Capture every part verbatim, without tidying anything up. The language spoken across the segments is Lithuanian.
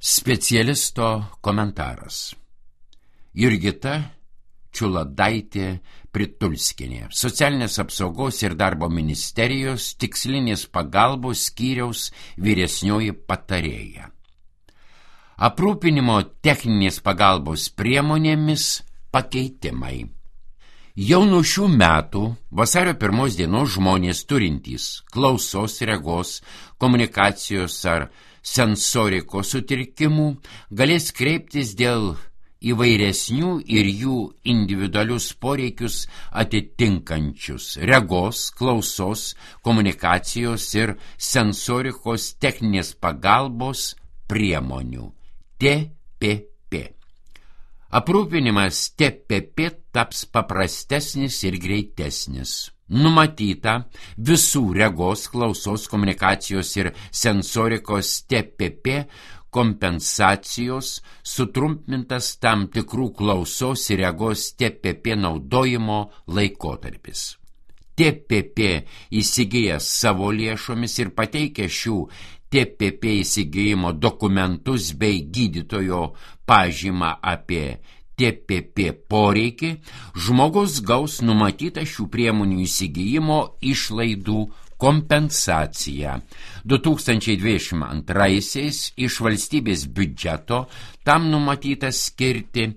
Specialisto komentaras. Jurgita Čiuladaitė Pritulskienė, Socialinės apsaugos ir darbo ministerijos tikslinės pagalbos skyriaus vyresnioji patarėja. Aprūpinimo techninės pagalbos priemonėmis pakeitimai. Jau nuo šių metų vasario pirmos dienos žmonės turintys klausos, regos, komunikacijos ar sensorikos sutrikimų galės kreiptis dėl įvairesnių ir jų individualius poreikius atitinkančius regos, klausos, komunikacijos ir sensorikos techninės pagalbos priemonių T P P. Aprūpinimas T P P taps paprastesnis ir greitesnis. Numatyta visų regos, klausos, komunikacijos ir sensorikos T P P kompensacijos sutrumpintas tam tikrų klausos ir regos T P P naudojimo laikotarpis. T P P įsigijęs savo lėšomis ir pateikia šių T P P įsigijimo dokumentus bei gydytojo pažymą apie T P P poreikį, žmogus gaus numatytą šių priemonių įsigijimo išlaidų kompensaciją. du tūkstančiai dvidešimt antraisiais iš valstybės biudžeto tam numatyta skirti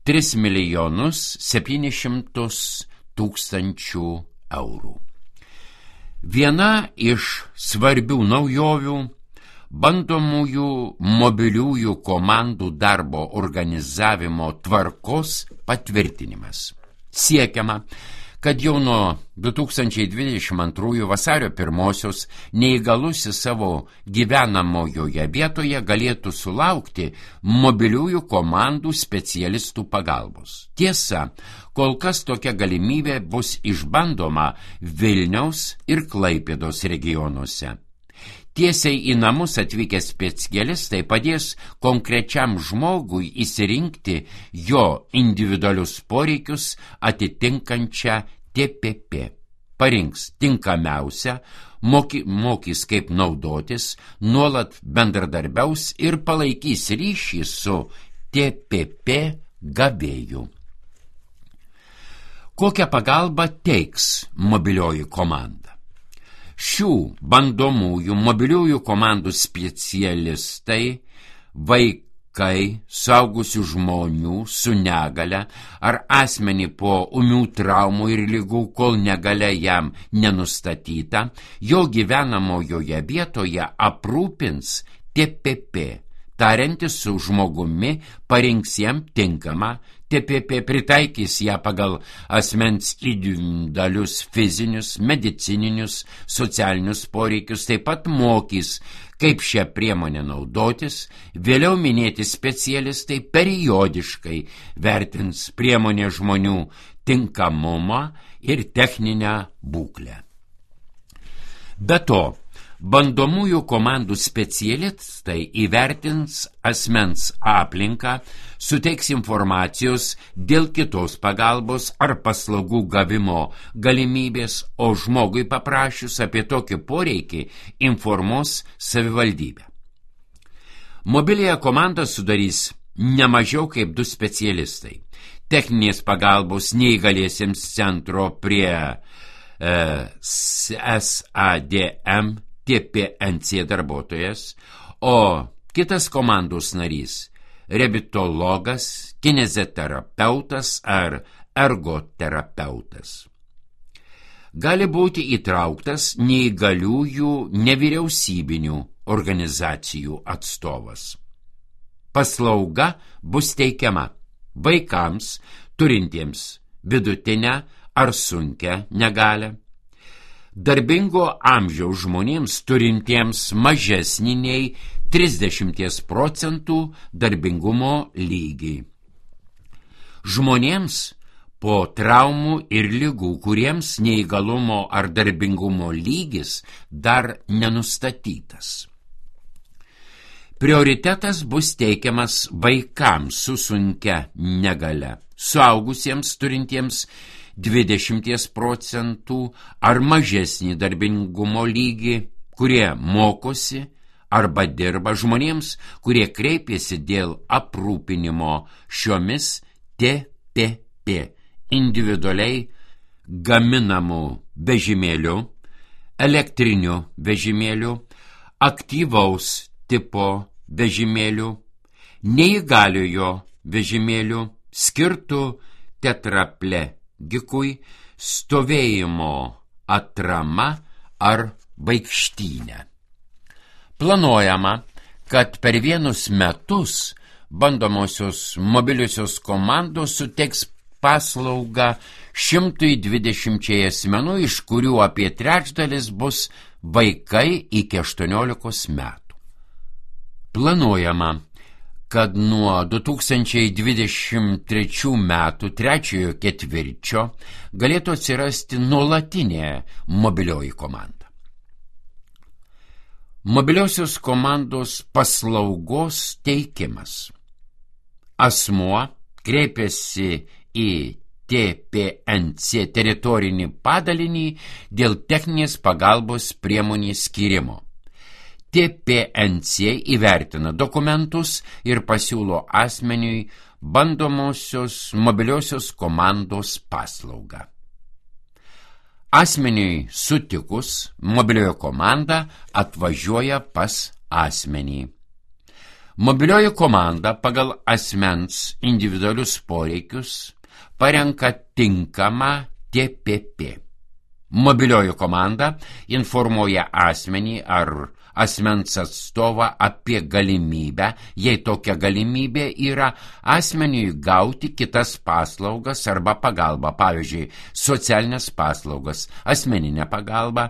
tris milijonus septynis šimtus tūkstančių eurų. Viena iš svarbių naujovių – bandomųjų mobiliųjų komandų darbo organizavimo tvarkos patvirtinimas. Siekiama, kad jau nuo du tūkstančiai dvidešimt antrųjų vasario pirmosios neįgalusis savo gyvenamojoje vietoje galėtų sulaukti mobiliųjų komandų specialistų pagalbos. Tiesa, kol kas tokia galimybė bus išbandoma Vilniaus ir Klaipėdos regionuose. Tiesiai į namus atvykę specialistai padės konkrečiam žmogui įsirinkti jo individualius poreikius atitinkančią T P P. Parinks tinkamiausią, moky, mokys kaip naudotis, nuolat bendradarbiaus ir palaikys ryšį su T P P gavėju. Kokią pagalbą teiks mobilioji komanda? Šių bandomųjų mobiliųjų komandų specialistai, vaikai, suaugusių žmonių su negale ar asmenį po ūmių traumų ir ligų, kol negalia jam nenustatyta, jo gyvenamojoje vietoje aprūpins T P P. Tariantis su žmogumi parinks jam tinkamą T P P, pritaikys ją pagal asmens individualius fizinius, medicininius, socialinius poreikius, taip pat mokys, kaip šią priemonę naudotis. Vėliau minėti specialistai periodiškai vertins priemonę žmonių tinkamumą ir techninę būklę. Be to, bandomųjų komandų specialistai įvertins asmens aplinką, suteiks informacijos dėl kitos pagalbos ar paslaugų gavimo galimybės, o žmogui paprašius apie tokį poreikį informuos savivaldybę. Mobiliąją komandą sudarys ne mažiau kaip du specialistai. Techninės pagalbos neįgaliesiems centro prie e, S A D M T P N C darbuotojas, o kitas komandos narys – reabilitologas, kineziterapeutas ar ergoterapeutas. Gali būti įtrauktas neįgaliųjų nevyriausybinių organizacijų atstovas. Paslauga bus teikiama vaikams turintiems vidutinę ar sunkią negalią, darbingo amžiaus žmonėms turintiems mažesnį nei trisdešimt procentų darbingumo lygį. Žmonėms po traumų ir ligų, kuriems neįgalumo ar darbingumo lygis dar nenustatytas. Prioritetas bus teikiamas vaikams su sunkia negalia, suaugusiems turintiems dvidešimt procentų ar mažesnį darbingumo lygį, kurie mokosi arba dirba žmonėms, kurie kreipėsi dėl aprūpinimo šiomis T P P individualiai gaminamų vežimėlių, elektrinių vežimėlių, aktyvaus tipo vežimėlių, neįgaliojo vežimėlių, skirtų tetraplegikui, stovėjimo atrama ar vaikštynė. Planuojama, kad per vienus metus bandomosios mobiliosios komandos suteiks paslaugą šimtui dvidešimčiai asmenų, iš kurių apie trečdalis bus vaikai iki aštuoniolikos metų. Planuojama, kad nuo du tūkstančiai dvidešimt trečių metų trečiojo ketvirčio galėtų atsirasti nuolatinė mobilioji komanda. Mobiliosios komandos paslaugos teikimas. Asmuo kreipiasi į T P N C teritorinį padalinį dėl techninės pagalbos priemonės skyrimo. T P N C įvertina dokumentus ir pasiūlo asmeniui bandomosios mobiliosios komandos paslaugą. Asmeniui sutikus, mobilioji komanda atvažiuoja pas asmenį. Mobilioji komanda pagal asmens individualius poreikius parenka tinkamą T P P. Mobilioji komanda informuoja asmenį ar asmens atstovą apie galimybę, jei tokia galimybė yra, asmeniui gauti kitas paslaugas arba pagalbą, pavyzdžiui, socialinės paslaugas, asmeninę pagalbą,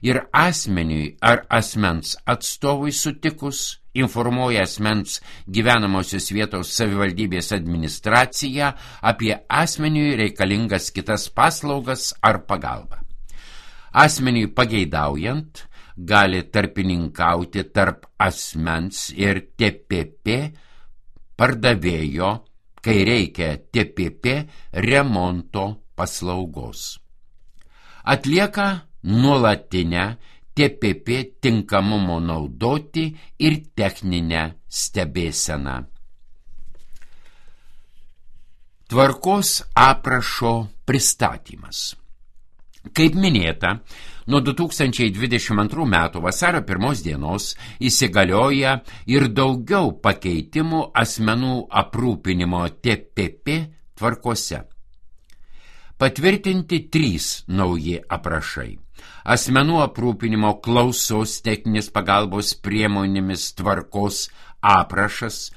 ir asmeniui ar asmens atstovui sutikus informuoja asmens gyvenamosios vietos savivaldybės administraciją apie asmeniui reikalingas kitas paslaugas ar pagalbą. Asmeniui pageidaujant, gali tarpininkauti tarp asmens ir T P P pardavėjo, kai reikia T P P remonto paslaugos. Atlieka nuolatinę T P P tinkamumo naudoti ir techninę stebėseną. Tvarkos aprašo pristatymas. Kaip minėta, nuo du tūkstančiai dvidešimt antrų metų vasario pirmos dienos įsigalioja ir daugiau pakeitimų asmenų aprūpinimo T P P tvarkose. Patvirtinti trys nauji aprašai. Asmenų aprūpinimo klausos techninės pagalbos priemonėmis tvarkos aprašas,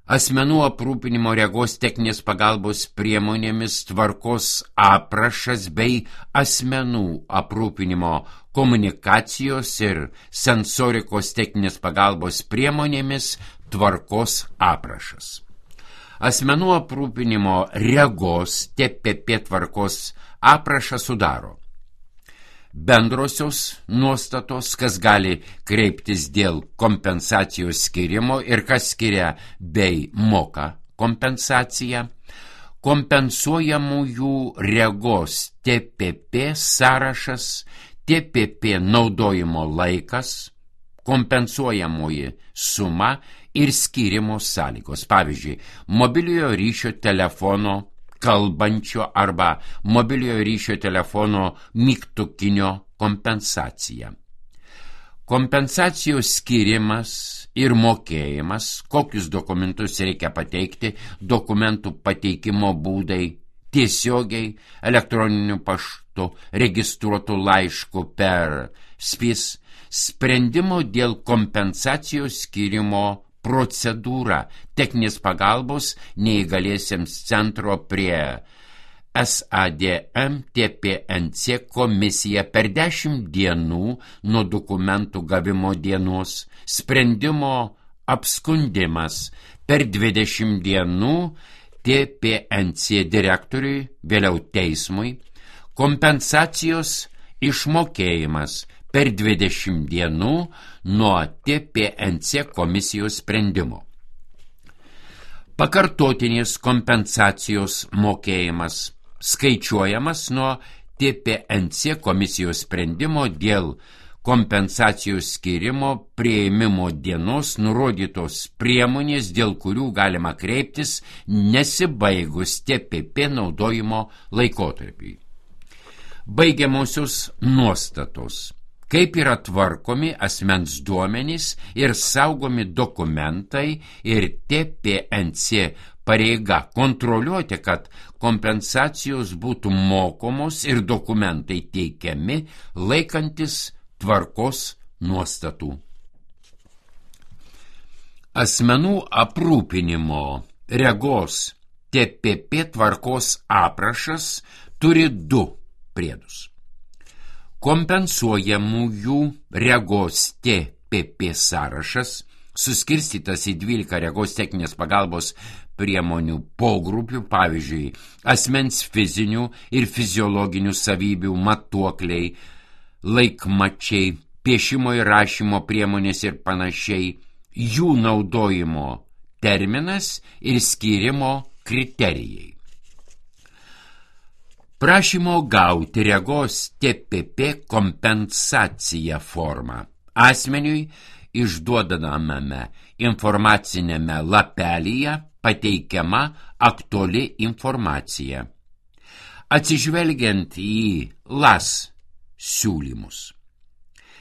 asmenų aprūpinimo regos techninės pagalbos priemonėmis tvarkos aprašas bei asmenų aprūpinimo komunikacijos ir sensorikos techninės pagalbos priemonėmis tvarkos aprašas. Asmenų aprūpinimo regos T P P tvarkos aprašą sudaro bendrosios nuostatos, kas gali kreiptis dėl kompensacijos skirimo ir kas skiria bei moka kompensaciją, kompensuojamųjų regos T P P sąrašas, T P P naudojimo laikas, kompensuojamoji suma ir skirimo sąlygos. Pavyzdžiui, mobiliojo ryšio telefono kalbančio arba mobiliojo ryšio telefono mygtukinio kompensacija. Kompensacijos skirimas ir mokėjimas, kokius dokumentus reikia pateikti, dokumentų pateikimo būdai, tiesiogiai, elektroniniu paštu, registruotų laiškų per S P I S, sprendimo dėl kompensacijos skirimo procedūra, techninės pagalbos neįgaliesiems centro prie S A D M T P N C komisija per dešimt dienų nuo dokumentų gavimo dienos, sprendimo apskundimas per dvidešimt dienų T P N C direktoriui, vėliau teismui, kompensacijos išmokėjimas per dvidešimt dienų nuo T P N C komisijos sprendimo. Pakartotinės kompensacijos mokėjimas skaičiuojamas nuo T P N C komisijos sprendimo dėl kompensacijos skirimo priėmimo dienos nurodytos priemonės, dėl kurių galima kreiptis nesibaigus T P P naudojimo laikotarpiui. Baigiamosios nuostatos. Kaip yra tvarkomi asmens duomenys ir saugomi dokumentai ir T P N C pareiga kontroliuoti, kad kompensacijos būtų mokomos ir dokumentai teikiami laikantis tvarkos nuostatų. Asmenų aprūpinimo regos T P P tvarkos aprašas turi du priedus. Kompensuojamųjų regos T P P sąrašas, suskirstytas į dvylika regos techninės pagalbos priemonių pogrupių, pavyzdžiui, asmens fizinių ir fiziologinių savybių matuokliai, laikmačiai, piešimo ir rašymo priemonės ir panašiai, jų naudojimo terminas ir skyrimo kriterijai. Prašymo gauti regos T P P kompensaciją formą asmeniui išduodamame informacinėme lapelyje pateikiama aktuali informacija. Atsižvelgiant į L A S siūlymus,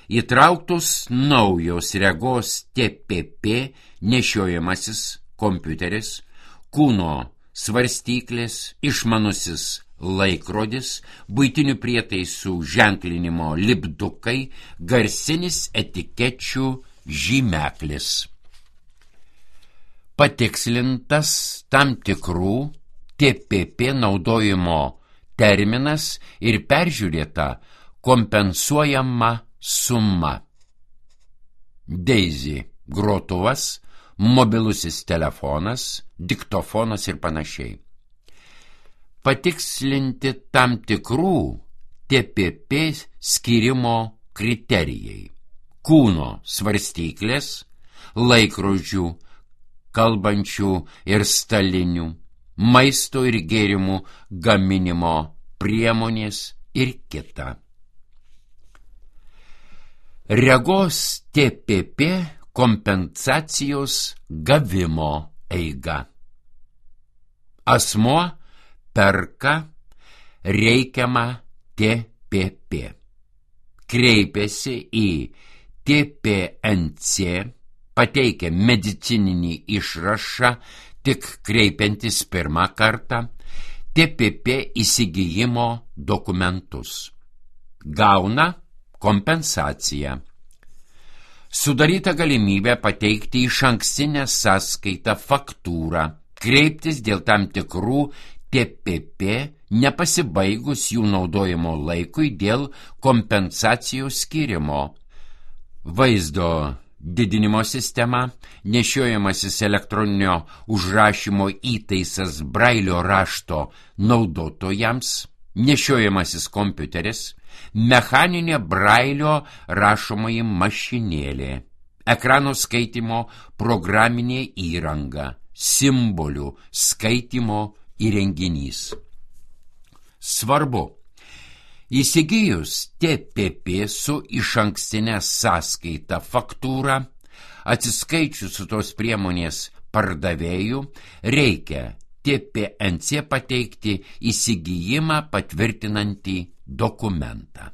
įtrauktos naujos regos T P P nešiojamasis kompiuteris, kūno svarstyklės, išmanusis laikrodis, buitinių prietaisų ženklinimo lipdukai, garsinis etikečių žymeklis. Patikslintas tam tikrų T P P naudojimo terminas ir peržiūrėta kompensuojama suma. Daisy grotuvas, mobilusis telefonas, diktofonas ir panašiai. Patikslinti tam tikrų T P P skyrimo kriterijai. Kūno svarstyklės, laikrodžių, kalbančių ir stalinių, maisto ir gėrimų gaminimo priemonės ir kita. Regos T P P kompensacijos gavimo eiga. Asmuo perka reikiamą T P P. Kreipiasi į T P N C, pateikia medicininį išrašą tik kreipiantis pirmą kartą, T P P įsigijimo dokumentus. Gauna kompensaciją. Sudaryta galimybė pateikti išankstinę sąskaitą faktūrą, kreiptis dėl tam tikrų T P P nepasibaigus jų naudojimo laikui dėl kompensacijos skyrimo. Vaizdo didinimo sistema, nešiojamasis elektroninio užrašymo įtaisas brailio rašto naudotojams, nešiojamasis kompiuteris, mechaninė brailio rašomoji mašinėlė, ekrano skaitimo programinė įranga, simbolių skaitimo įrenginys. Svarbu, įsigijus T P P su išankstinė sąskaita faktūra, atsiskaičius su tos priemonės pardavėjų, reikia T P N C pateikti įsigijimą patvirtinantį dokumentą.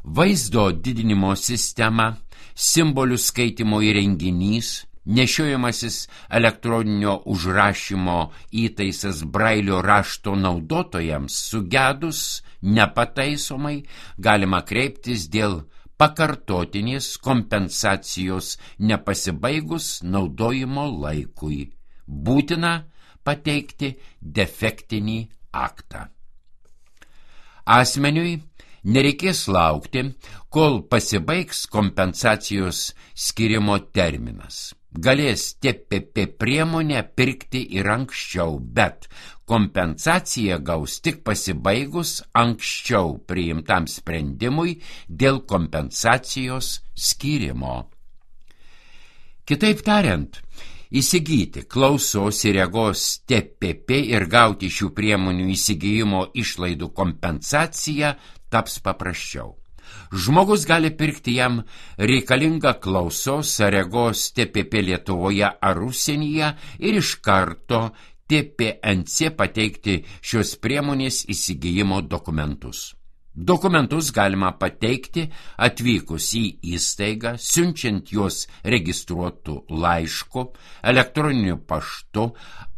Vaizdo didinimo sistema, simbolių skaitimo įrenginys, nešiojamasis elektroninio užrašymo įtaisas brailio rašto naudotojams sugedus nepataisomai galima kreiptis dėl pakartotinės kompensacijos nepasibaigus naudojimo laikui. Būtina pateikti defektinį aktą. Asmeniui nereikės laukti, kol pasibaigs kompensacijos skirimo terminas. Galės T P P priemonę pirkti ir anksčiau, bet kompensaciją gaus tik pasibaigus anksčiau priimtam sprendimui dėl kompensacijos skyrimo. Kitaip tariant, įsigyti klausos ir regos T P P ir gauti šių priemonių įsigijimo išlaidų kompensaciją taps paprasčiau. Žmogus gali pirkti jam reikalingą klausos ar regos T P P Lietuvoje ar užsienyje ir iš karto T P N C pateikti šios priemonės įsigijimo dokumentus. Dokumentus galima pateikti atvykus į įstaigą, siunčiant juos registruotų laišku, elektroniniu paštu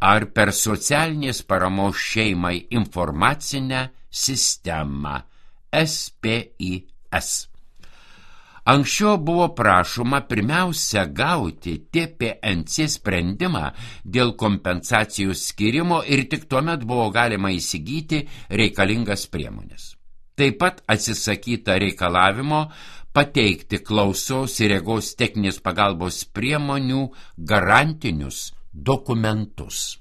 ar per socialinės paramos šeimai informacinę sistemą S P I S. Anksčiau buvo prašoma pirmiausia gauti T P N C sprendimą dėl kompensacijų skirimo ir tik tuomet buvo galima įsigyti reikalingas priemonės. Taip pat atsisakyta reikalavimo pateikti klausos ir regos techninės pagalbos priemonių garantinius dokumentus.